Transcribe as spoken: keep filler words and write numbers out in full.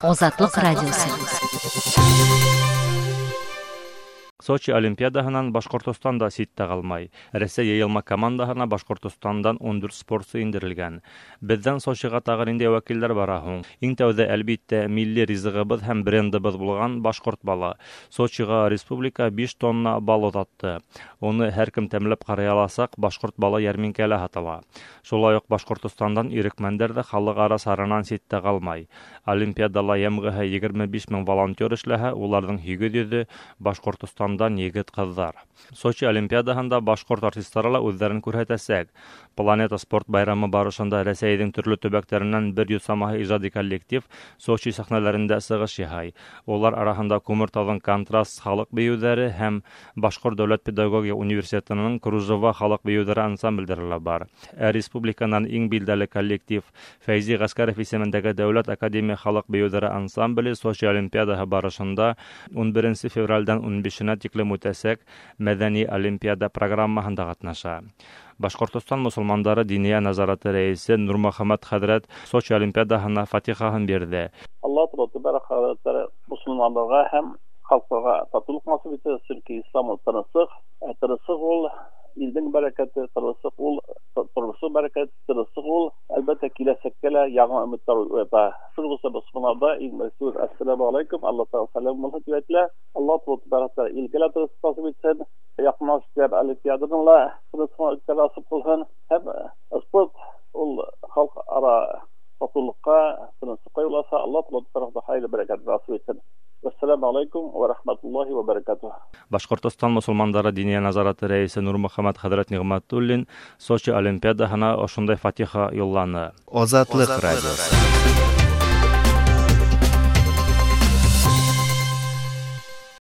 Азатлык радиосы. Сочи Олимпиадаһынан Башҡортостан да ситтә ҡалмай. Рәсәй йыйылма командаһына Башҡортостандан ун дүрт спортсы индерелгән. Беҙҙән Сочиға тағы ниндәй вәкилдәр бара һуң? Иң тәүҙә, әлбиттә, милли ризығыбыҙ һәм брендыбыҙ булған башҡорт балы. Сочиға республика биш тонна бал оҙатты. Уны һәр кем тәмләп ҡарай аласаҡ, башҡорт балы йәрминкәлә һатыла. Шулай уҡ Башҡортостандан ирекмәндәр ҙә халыҡ-ара саранан ситтә ҡалмай. Олимпиадала йәмғеһе егерме биш мең волонтер эшләһә, уларҙың һигеҙ йөҙө Башҡортостандан егет-ҡыҙҙар. Сочи Олимпиадаһында башҡорт артистары ла үҙҙәрен күрһәтәсәк. Планета спорт байрамы барышында Рәсәйҙең төрлө төбәктәренән бер йөҙ самаһы ижади коллектив Сочи сәхнәләрендә сығыш яһай. Улар араһында Күмертауҙың контраст халыҡ бейеүҙәре һәм Башҡорт дәүләт педагогия университетының Кружева халыҡ бейеүҙәре ансамблдәре лә бар. Ә республиканан иң билдәле коллектив Фәйзи Ғәскәров исемендәге Дәүләт академия халыҡ бейеүҙәре ансамбле Сочи Олимпиадаһы барышында ун беренсе февралдән ун бишенә тиклем үтәсәк мәҙәни олимпиада программаһында ҡатнаша. Башҡортостан мосолмандары диния назараты рәйесе Нурмөхәмәт хәҙрәт Сочи Олимпиадаһына фатихаһын бирҙе. Аллаһ Тәгалә мосолмандарға һәм халҡларға татыулыҡ насип итә, сөнки ислам ул тыныслыҡ, ә тыныслыҡ ул илдең бәрәкәте, тыныслыҡ ул тормошоң бәрәкәте, тыныслыҡ ул әлбәттә киләсәккә лә яңы өмөттәр уята. Шул булса мосолмандарҙа иң беренсе ассаламу алейкум, Аллаһ Тәгалә сәләм булһын тип әйтелә. Аллаһ Тәгалә илгә лә тыныслыҡ насип итһен, яҡынлашып олимпиаданың ла тыныслыҡ үткәрә насип ҡылһын. Һәм спорт ул халыҡ ара татыулыҡҡа, тыныслыҡҡа юл аса. Аллаһ Тәгалә хайыр бәрәкәт насип итһен. Ассаламу алейкум ва рахматуллахи ва баракатух. Башҡортостан мосолмандары диния назараты рәйесе Нурмөхәмәт хәҙрәт Ниғмәтуллин Сочи Олимпиадаһына ошондай фатиха юлланы. Азатлыҡ радиосы.